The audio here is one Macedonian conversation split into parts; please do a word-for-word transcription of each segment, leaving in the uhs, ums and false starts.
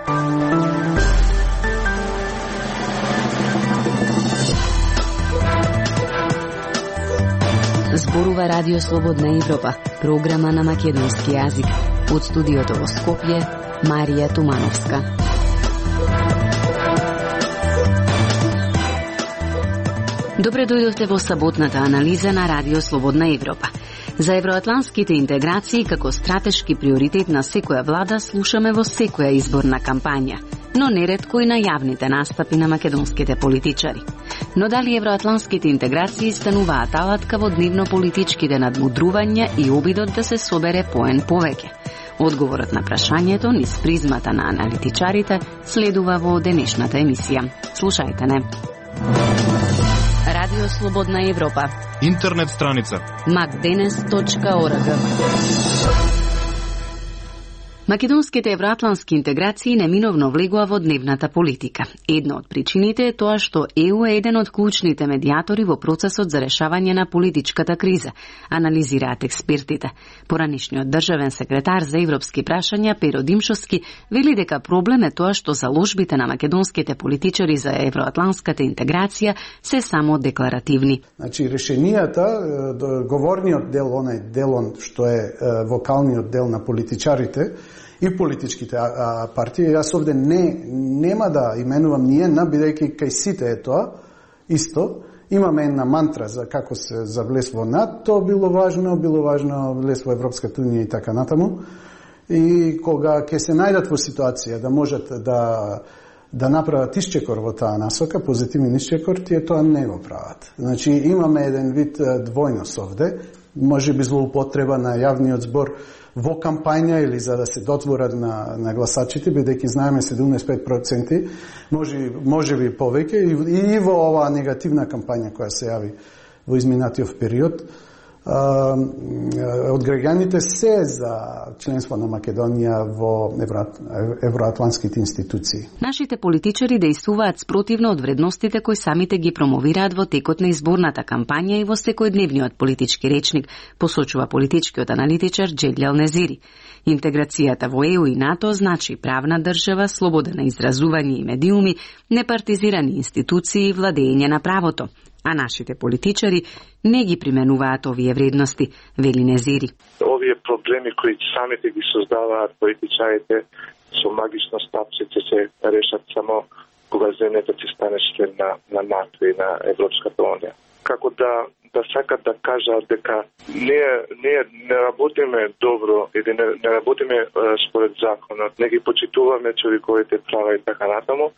Зборува Радио Слободна Европа, програма на македонски јазик. Од студиото во Скопје, Марија Тумановска. Добре дојдовте во саботната анализа на Радио Слободна Европа. За евроатланските интеграции како стратешки приоритет на секоја влада слушаме во секоја изборна кампања, но неретко и на јавните настапи на македонските политичари. Но дали евроатланските интеграции стануваат алатка во дневно-политичките надмудрувања и обидот да се собере поен повеќе? Одговорот на прашањето низ призмата на аналитичарите следува во денешната емисија. Слушајте не. Радио Слободна Европа. Интернет страница макденес точка орг. Македонските евроатлански интеграции неминовно влегува во дневната политика. Една од причините е тоа што Е У е еден од клучните медиатори во процесот за решавање на политичката криза, анализираат експертите. Поранешниот државен секретар за европски прашања Перо Димшовски вели дека проблем е тоа што заложбите на македонските политичари за евроатланската интеграција се само декларативни. Значи решенијата, говорниот дел, онај делон што е вокалниот дел на политичарите и политичките а, партии, јас овде не нема да именувам ни една, бидејќи кај сите е тоа исто. Имаме една мантра за како се за влез во НАТО, било важно, било важно влез во Европската унија и така натаму. И кога ќе се најдат во ситуација да можат да да направат исчекор во таа насока, позитивен исчекор, тие тоа не го прават. Значи имаме еден вид двојност овде, може би злоупотреба на јавниот збор во кампања или за да се дотворат на, на гласачите, бидејќи знаеме седумдесет и пет проценти, може, може би повеќе, и, и во оваа негативна кампања која се јави во изминатиот период, а, од граѓаните се за членство на Македонија во евро, евроатланските институции. Нашите политичари дејствуваат спротивно од вредностите кои самите ги промовираат во текот на изборната кампања и во секојдневниот политички речник, посочува политичкиот аналитичар Джелјал Незири. Интеграцијата во Е У и НАТО значи правна држава, слобода на изразување и медиуми, непартизирани институции и владење на правото. А нашите политичари не ги применуваат овие вредности, вели Незири. Овие проблеми кои самите ги создаваат политичарите со магично стапчице се решат само кога земјата ќе стане член на, на НАТО и на Европската унија. Како да да сакат да кажат дека не не не работиме добро или не, не работиме е, според законот, не ги почитуваме човековите права и така натаму, е,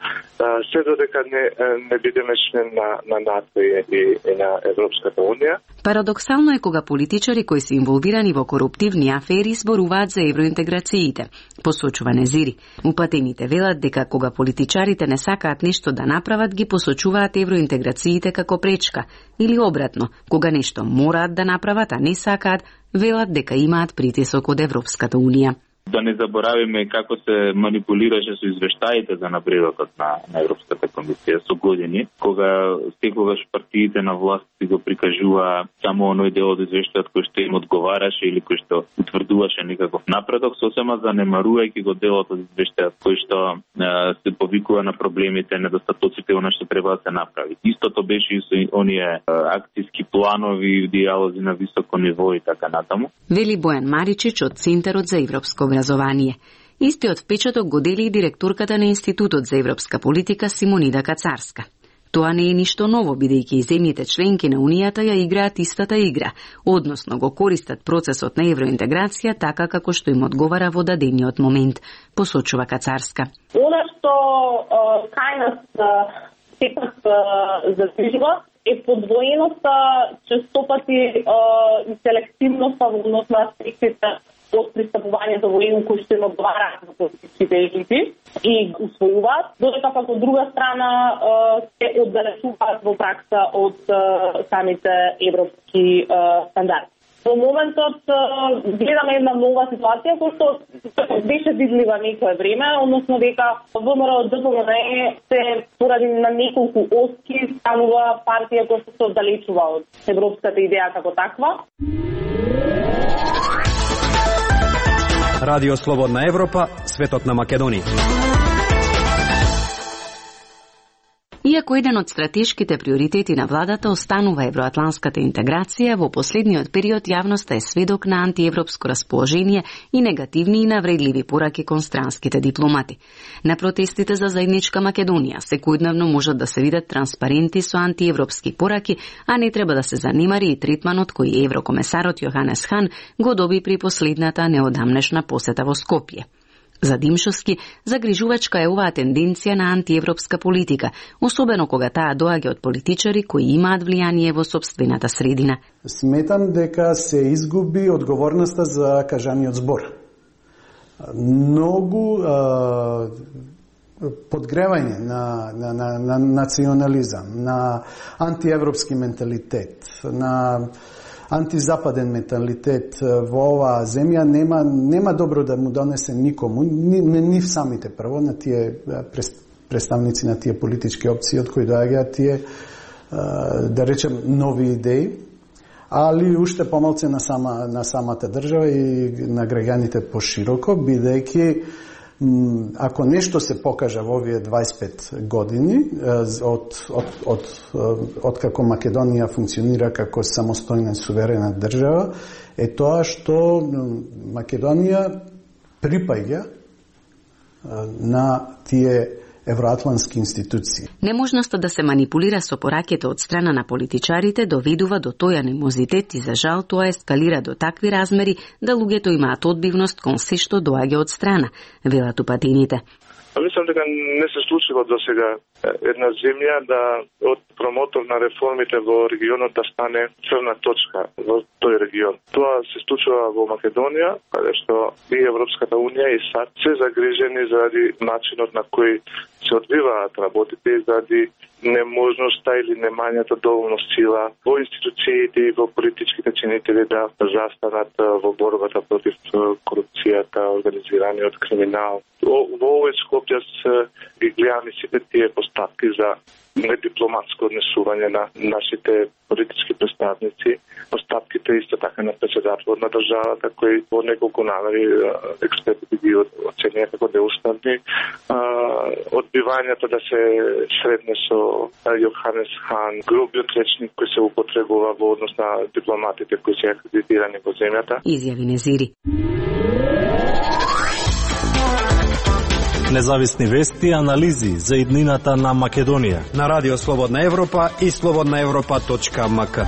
се додека не не бидеме член на на НАТО и, и, и на Европската унија. Парадоксално е кога политичари кои се инволвирани во коруптивни афери зборуваат за евроинтеграциите, посочува Незири. Упатените велат дека кога политичарите не сакаат нешто да направат, ги посочуваат евроинтеграциите како пречка, или обратно, кога нешто мораат да направат, а не сакаат, велат дека имаат притисок од Европската унија. Да не заборавиме како се манипулираше со извештаите за напредокот на, на Европската комисија со години, кога секогаш партиите на власт си го прикажува само оној дел од извештајот кој што им одговараше или кој што утврдуваше некаков напредок, сосема занемарувајќи го делот од извештајот кој што е, се повикува на проблемите, недостатоците, она што треба да се направи. Истото беше и со оние е, акцијски планови, диалози на високо ниво и така натаму. Вели Бојан Маричич од Центарот за европско образование. Истиот впечаток го дели и директорката на Институтот за европска политика Симонида Кацарска. Тоа не е ништо ново, бидејќи и земјите членки на Унијата ја играат истата игра, односно го користат процесот на евроинтеграција така како што им одговара во дадениот момент, посочува Кацарска. Она што кај нас сепак задвижува е подвоеноста, честопати и селективноста во однос на аспектите од пристапувањето во Е У кои што им одговараат на политичките елити и усвојуваат, додека пак од друга страна се оддалечуваат во пракса од самите европски стандарди. Во моментот гледаме една нова ситуација која што беше видлива некое време, односно дека ВМРО Д П М Н се поради на неколку оски станува партија која што се оддалечува од европската идеја како таква. Радио Слободна Европа, светот на Македонија. Иако еден од стратешките приоритети на владата останува евроатланската интеграција, во последниот период јавноста е сведок на антиевропско расположение и негативни и навредливи пораки кон странските дипломати. На протестите за заедничка Македонија секојдневно можат да се видат транспаренти со антиевропски пораки, а не треба да се занимари и третманот кој еврокомесарот Јоханес Хан го доби при последната неодамнешна посета во Скопје. За Димшовски, загрижувачка е оваа тенденција на антиевропска политика, особено кога таа доаѓа од политичари кои имаат влијание во сопствената средина. Сметам дека се изгуби одговорноста за кажаниот збор. Многу а, подгревање на, на, на, на национализам, на антиевропски менталитет, на антизападен менталитет во оваа земја нема нема добро да му донесе никому, ни, ни самите прво на тие представници на тие политички опции од кои доаѓаат тие да речем нови идеи, али уште помалце на сама на самата држава и на граѓаните пошироко, бидејќи ако нешто се покажа во овие дваесет и пет години од, од, од, од како Македонија функционира како самостојна суверена држава, е тоа што Македонија припаѓа на тие евроатлански институции. Неможноста да се манипулира со пораките од страна на политичарите доведува до тој анимозитет и за жал тоа ескалира до такви размери да луѓето имаат одбивност кон се што доаѓа од страна, велат упатените. Мислам дека не се случило до сега една земја да од промотор на реформите во регионот да стане црна точка во тој регион. Тоа се случува во Македонија, каде што и Европската унија и САД се загрижени заради начинот на кој се одвиваат работите и заради неможноста или немањето доволно сила во институциите и во политичките чинители да застанат во борбата против корупцијата, организираниот криминал. Во овој Скопје ги гледаме сите тие постапки за недипломатско однесување на нашите политички представници, постапките исто така на председателот на државата, кој во неколку навери експертите ги оценија како неуставни, одбивањето да се средне со Јоханес Хан, грубиот речник кој се употребува во однос на дипломатите кои се акредитирани во земјата. Изјави Незири. Независни вести и анализи за иднината на Македонија на Радио Слободна Европа и слободна европа точка ем ка.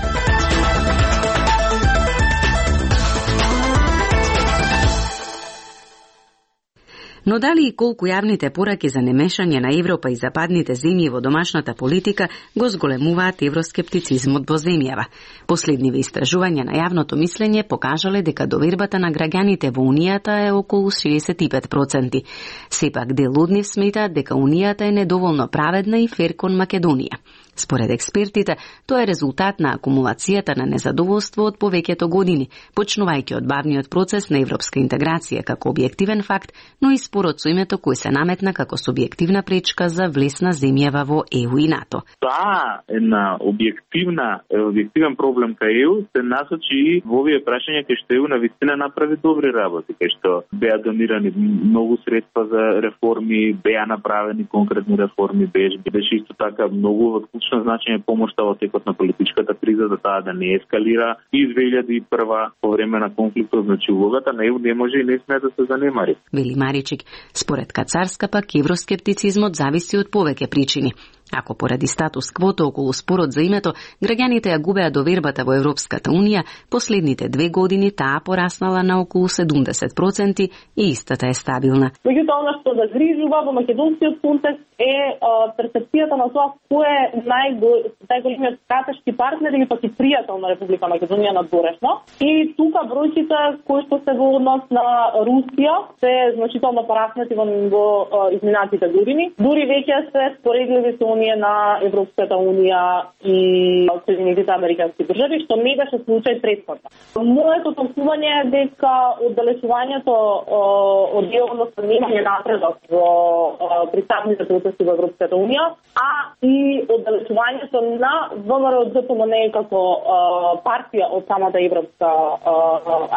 Но дали и колку јавните пораки за немешање на Европа и западните земји во домашната политика го зголемуваат евроскептицизмот во земјава. Последниве истражувања на јавното мислење покажале дека довербата на граѓаните во Унијата е околу шеесет и пет проценти. Сепак дел од нив сметаат дека Унијата е недоволно праведна и фер кон Македонија. Според експертите, тоа е резултат на акумулацијата на незадоволство од повеќето години, почнувајќи од бавниот процес на европска интеграција како објективен факт, но и спорот со името кој се наметна како субјективна пречка за влез на земјава во Е У и НАТО. Таа една објективна, објективен проблем кај Е У се насочи и во овие прашања кај што Е У навистина направи добри работи, кај што беа донирани многу средства за реформи, беа направени конкретни реформи, беше, беше исто така многу од клучно значење помошта во текот на политичката криза за таа да не ескалира и две илјади и прва по време на конфликтот, значи улогата на Е У не може и не смее да се занемари. Вели Маричик, според Кацарска пак евроскептицизмот зависи од повеќе причини. Ако поради статус квота околу спорот за името, граѓаните ја губеа довербата во Европската Унија, последните две години таа пораснала на околу седумдесет проценти и истата е стабилна. Меѓутоа, она што загрижува во македонскиот контекст е перцепцијата на тоа кој е најголемиот стратешки партнер или пак и пријател на Република Македонија надворешно. И тука бројките кои што се во однос на Русија се значително пораснати во, во изминатите години. Дури веќе се споредливи со оние на Европската Унија и Соединетите Американски држави, што не беше случај претходно. Моето толкување е дека оддалечувањето од делот немање напредок во пристапните процеси во Европската Унија, а и оддалечувањето на ВМРО Д П М Н како партија од самата европска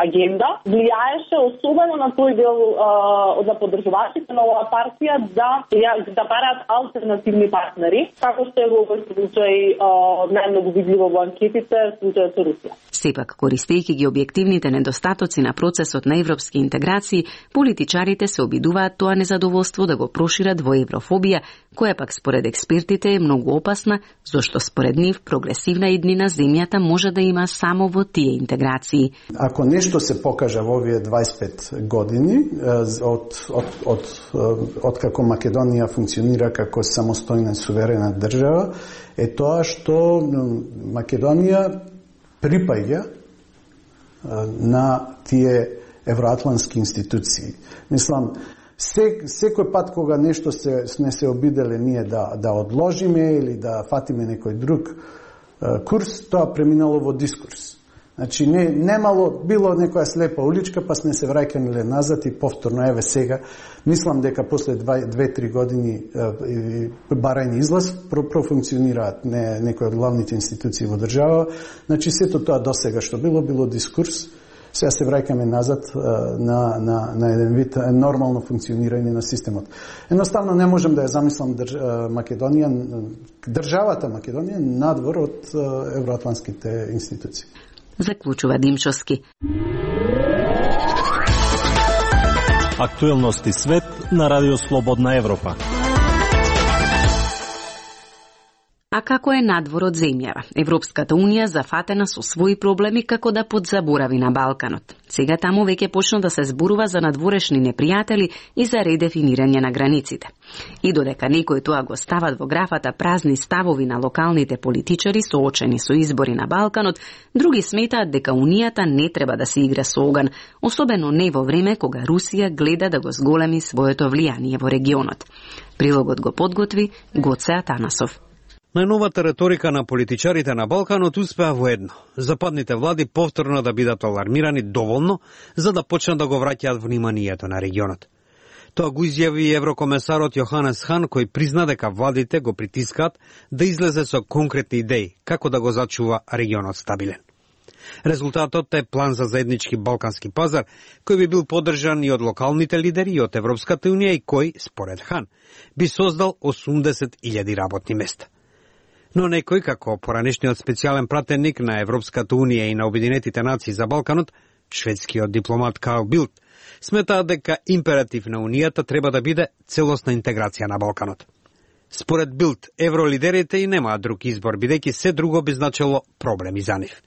агенда влијаеше особено на тој дел од поддржувачите на оваа партија да да бараат алтернативни партнери партнери, како што е во овој случај најмногу видливо во анкетите, случајот со Русија. Сепак, користејќи ги објективните недостатоци на процесот на европски интеграции, политичарите се обидуваат тоа незадоволство да го прошират во еврофобија, која пак според експертите е многу опасна, зашто според нив прогресивна иднина земјата може да има само во тие интеграции. Ако нешто се покажа во овие дваесет и пет години од од од од како Македонија функционира како самостојна суверена држава, е тоа што Македонија припаѓа на тие евроатлански институции. Мислам, се, секој пат кога нешто се, сме се обиделе ние да, да одложиме или да фатиме некој друг курс, тоа преминало во дискурс. Значи, не, немало, било некоја слепа уличка, па сме се враќаниле назад и повторно, еве сега, мислам дека после две-три години барање излаз профункционираат не, некои од главните институции во држава. Значи, сето тоа досега што било, било дискурс. Сега се враќаме назад на, на, на еден вид нормално функционирање на системот. Едноставно не можем да ја замислам држ, Македонија, државата Македонија надвор од евроатланските институции. Заклучува Димчовски. Актуелности свет на Радио Слободна Европа. А како е надвор од земјава? Европската унија зафатена со своји проблеми како да подзаборави на Балканот. Сега таму веќе почна да се зборува за надворешни непријатели и за редефинирање на границите. И додека некои тоа го стават во графата празни ставови на локалните политичари соочени со избори на Балканот, други сметаат дека Унијата не треба да се игра со оган, особено не во време кога Русија гледа да го зголеми своето влијание во регионот. Прилогот го подготви Гоце Атанасов. Најновата реторика на политичарите на Балканот успеа во едно. Западните влади повторно да бидат алармирани доволно за да почнат да го враќаат вниманието на регионот. Тоа го изјави и еврокомесарот Јоханес Хан, кој призна дека владите го притискаат да излезе со конкретни идеи како да го зачува регионот стабилен. Резултатот е план за заеднички балкански пазар, кој би бил поддржан и од локалните лидери и од Европската унија и кој, според Хан, би создал осумдесет илјади работни места. Но некој, како поранешниот специјален пратеник на Европската унија и на Обединетите нации за Балканот, шведскиот дипломат Карл Билт, сметаат дека императив на Унијата треба да биде целосна интеграција на Балканот. Според Билт, евролидерите и немаат друг избор, бидејќи се друго би значило проблеми за нив.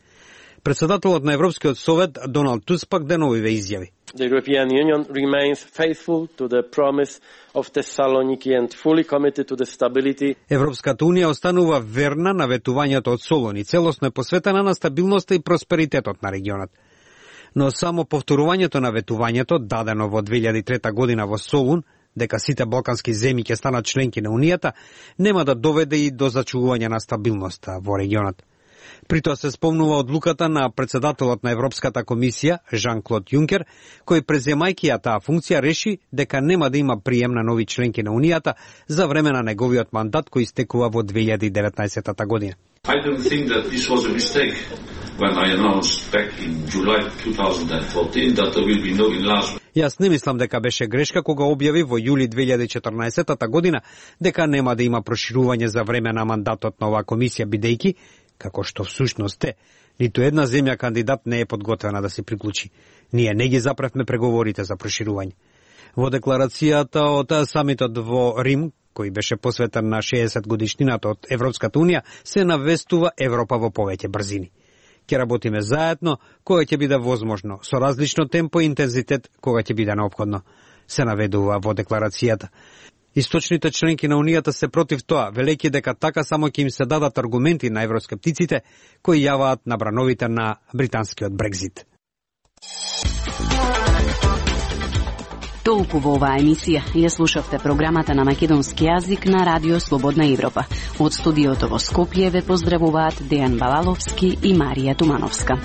Председателот на Европскиот совет Доналд Туск пак деновиве изјави: The European Union remains faithful to the promise of Thessaloniki and fully committed to the stability. Европската унија останува верна на ветувањето од Солун и целосно е посветена на стабилноста и просперитетот на регионот. Но само повторувањето на ветувањето дадено во две илјади и трета година во Солун, дека сите балкански земји ќе станат членки на Унијата, нема да доведе и до зачувување на стабилноста во регионот. При тоа се спомнува одлуката на председателот на Европската комисија, Жан-Клод Јункер, кој преземајќи ја таа функција реши дека нема да има прием на нови членки на Унијата за време на неговиот мандат кој истекува во две илјади и деветнаесетта година. I don't think that this was a mistake when I announced back in July twenty fourteen that there will be no enlargement. Јас не мислам дека беше грешка кога објави во јули две илјади и четрнаесетта година дека нема да има проширување за време на мандатот на оваа комисија, бидејќи како што всушност е, ниту една земја кандидат не е подготвена да се приклучи. Ние не ги запревме преговорите за проширување. Во декларацијата од самитот во Рим, кој беше посветен на шеесет годишнината од Европската унија, се навестува Европа во повеќе брзини. Ќе работиме заедно кога ќе биде возможно, со различно темпо и интензитет кога ќе биде неопходно, се наведува во декларацијата. Источните членки на Унијата се против тоа, велејќи дека така само ќе им се дадат аргументи на евроскептиците кои јаваат на брановите на британскиот Брекзит. Толку во оваа емисија. Ја слушавте програмата на македонски јазик на Радио Слободна Европа. Од студиото во Скопје ве поздравуваат Дејан Балаловски и Марија Тумановска.